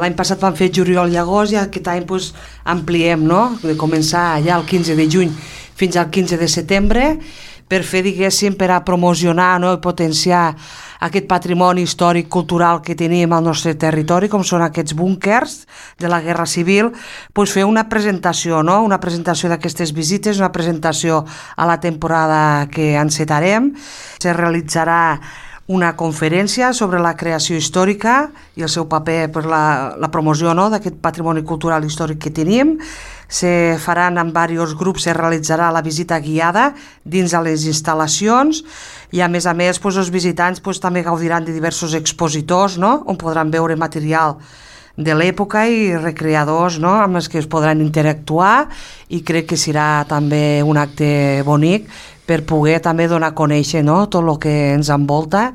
L'any passat vam fer juliol i agost i aquest any ampliem, no? De començar ja el 15 de juny fins al 15 de setembre per fer, diguéssim, per a promocionar, no? I potenciar aquest patrimoni històric cultural que tenim al nostre territori, com són aquests búnquers de la Guerra Civil, fer una presentació, no? Una presentació d'aquestes visites, una presentació a la temporada que encetarem. Se realitzarà una conferència sobre la creació històrica i el seu paper per la promoció, no? D'aquest patrimoni cultural històric que tenim. Se faran en diversos grups, se realitzarà la visita guiada dins de les instal·lacions i a més els visitants també gaudiran de diversos expositors, no? On podran veure material de l'època i recreadors, no? Amb els que es podran interactuar, i crec que serà també un acte bonic per poder també donar a conèixer, no? Tot el que ens envolta